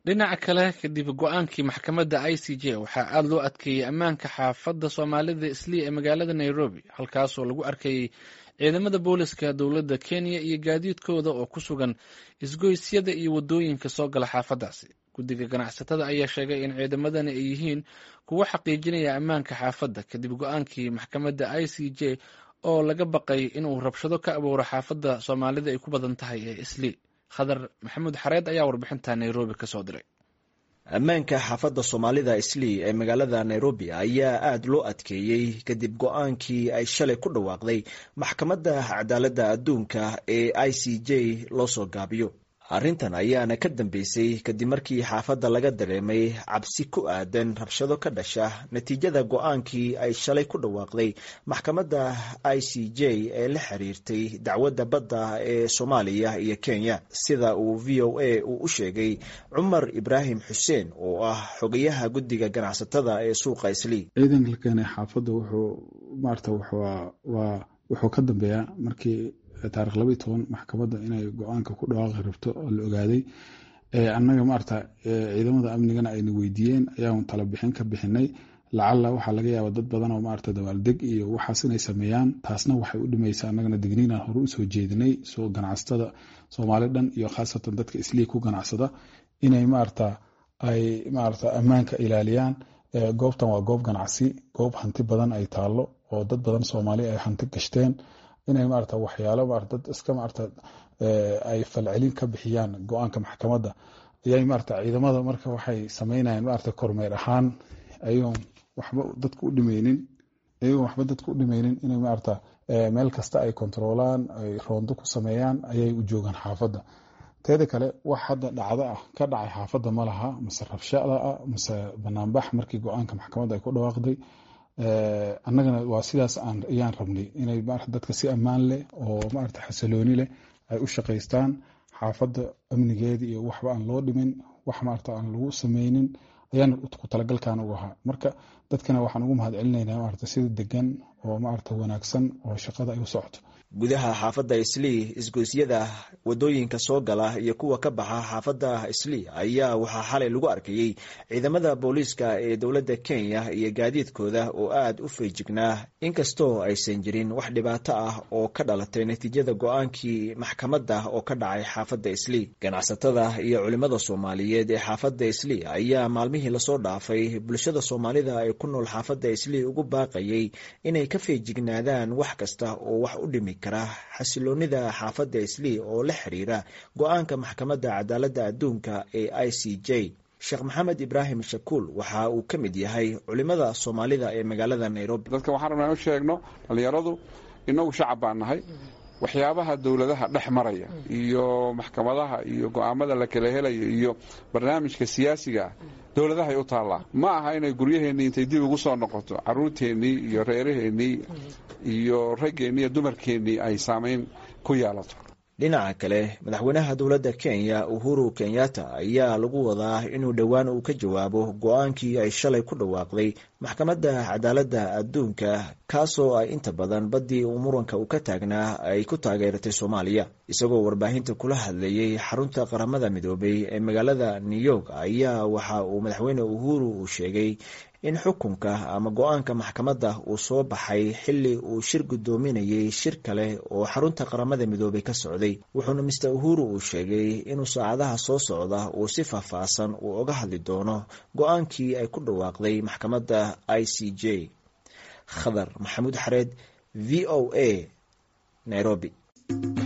Dhinaca kale, kadib go-aankii maxkamadda ICJ, waxaa aada loo adkeeyey ammaanka xaafadda Soomaalida Islii ee magaalada Nairobi, halkaasoo lagu arkayey ciidamada booliska dowladda Kenya iyo gaadiidkooda oo ku sugan isgoysyada iyo waddooyinka soo gala xaafaddaasi. Guddiga ganacsatada ayaa sheegay in ciidamadani ay yihiin kuwo xaqiijinaya ammaanka xaafadda kadib go-aankii maxkamadda ICJ oo laga baqay inuu rabshado ka abuuro xaafadda Soomaalida ay ku badan tahay ee Islii. Khadar Maxamuud Xareed ayaa warbixinta Nairobi ka soo diray. Ammaanka xaafadda Soomaalida Islii ee magaalada Nairobi ayaa aada loo adkeeyey kadib go-aankii ay shalay ku dhawaaqday Maxkamadda Cadaaladda Adduunka ee ICJ loo soo gaabiyo. Arrintan ayaana ka dambeysay kadib markii xaafadda laga dareemay cabsi ku aadan rabshado ka dhasha natiijada go-aankii ay shalay ku dhawaaqday maxkamadda ICJ ee la xiriirtay dacwadda badda ee Soomaaliya iyo Kenya, sida uu VOA uu u sheegay Cumar Ibraahim Xuseen oo ah xogayaha guddiga ganacsatada ee suuqa Islii. Ciidanka la keenay xaafadda wuxuu maarata wuxuu ka dambeeyaa markii taarikh 12 maxkamadda inay go-aanka ku dhawaaqi rabto oo la ogaaday. Annaga maarata ciidamada amnigana ayna weydiiyeen ayaan tala bixin ka bixinay. Lacalla waxaa laga yaaba dad badan oo maarata dabaaldeg iyo waxaas inay sameeyaan, taasna waxay u dhimaysaa. Annagana digniinaan hore usoo jeedinay soo ganacsatada Soomaali dhan iyo khaasatan dadka Islii ku ganacsada inay maarata ay maarata ammaanka ilaaliyaan. Goobtan waa goob ganacsi, goob hanti badan ay taallo oo dad badan Soomaali ay hanti gashteen, inay maarata waxyaalo maarata dad iska maarata ay falcelin ka bixiyaan go-aanka maxkamadda ayay maarata ciidamada marka waxay sameynayaan maarata kormeer ahaan, ayagoon waxba dadka u dhimeynin, ayagoon waxba dadka u dhimeynin, inay maarata meel kasta ay kontaroolaan, ay roondo ku sameeyaan ayay u joogaan xaafadda. Teeda kale, wax hadda dhacdo ah ka dhacay xaafadda ma laha, mase rabshada ah mase banaanbax markii go-aanka maxkamadda ay ku dhawaaqday. Annagana waa sidaas ayaan rabnay, inay maarata dadka si ammaan leh oo maarata xasilooni leh ay u shaqaystaan, xaafadda amnigeeda iyo waxba aan loo dhimin, wax maarata aan lagu sameynin ayaan ku talagalkan u ahaa. Marka dadkana waxaan ugu mahad celinaynaa maarata sida degan oo maarata wanaagsan oo shaqada ay u socoto. Gudaha xaafadda Islii, isgoysyada wadooyinka soo gala iyo kuwa ka baxa xaafadda Islii ayaa waxaa xalay lagu arkayey ciidamada booliiska ee dowladda Kenya iyo gaadiidkooda oo aada u feejignaa, inkastoo aysan jirin wax dhibaato ah oo ka dhalatay natiijada go-aankii maxkamadda oo ka dhacay xaafadda Islii. Ganacsatada iyo culimada Soomaaliyeed ee xaafadda Islii ayaa maalmihii lasoo dhaafay bulshada Soomaalida ee ku nool xaafadda Islii ugu baaqayay inay ka feejignaadaan wax kasta oo wax u dhimi kara xasiloonida xaafadda Islii oo la xiriira go-aanka Maxkamadda Cadaaladda Adduunka ee ICJ. Sheekh Maxamed Ibraahim Shakuul waxa uu ka mid yahay culimada Soomaalida ee magaalada Nairobi. Dadka waxaan rabnaa u sheegno, dhallinyaradu, innagu shacab baan nahay, waxyaabaha dowladaha dhex maraya iyo maxkamadaha iyo go'aamada la kala helayo iyo barnaamijka siyaasiga ah dowladahay u taallaa. Ma aha inay guryaheennii intay dib ugu soo noqoto, carruurteennii iyo reeraheennii iyo raggeennii iyo dumarkeennii ay saamayn ku yeelato. Dhinaca kale, madaxweynaha dowladda Kenya Uhuru Kenyatta ayaa lagu wadaa inuu dhowaan uu ka jawaabo go-aankii ay shalay ku dhawaaqday Maxkamadda Cadaaladda Adduunka, kaasoo ay inta badan baddii uu muranka uu ka taagnaa ay ku taageeratay Soomaaliya. Isagoo warbaahinta kula hadlayey xarunta Qaramada Midoobay ee magaalada New York ayaa waxa uu madaxweyne Uhuru uu sheegay in xukunka ama go-aanka maxkamadda uu soo baxay xilli uu shir guddoominayay shir kale oo xarunta Qaramada Midoobay ka socday. Wuxuuna Mister Uhuru uu sheegay inuu saacadaha soo socda uu si faahfaahsan uu oga hadli doono go-aankii ay ku dhawaaqday maxkamadda ICJ. Khadar Maxamuud Xareed, VOA, Nairobi.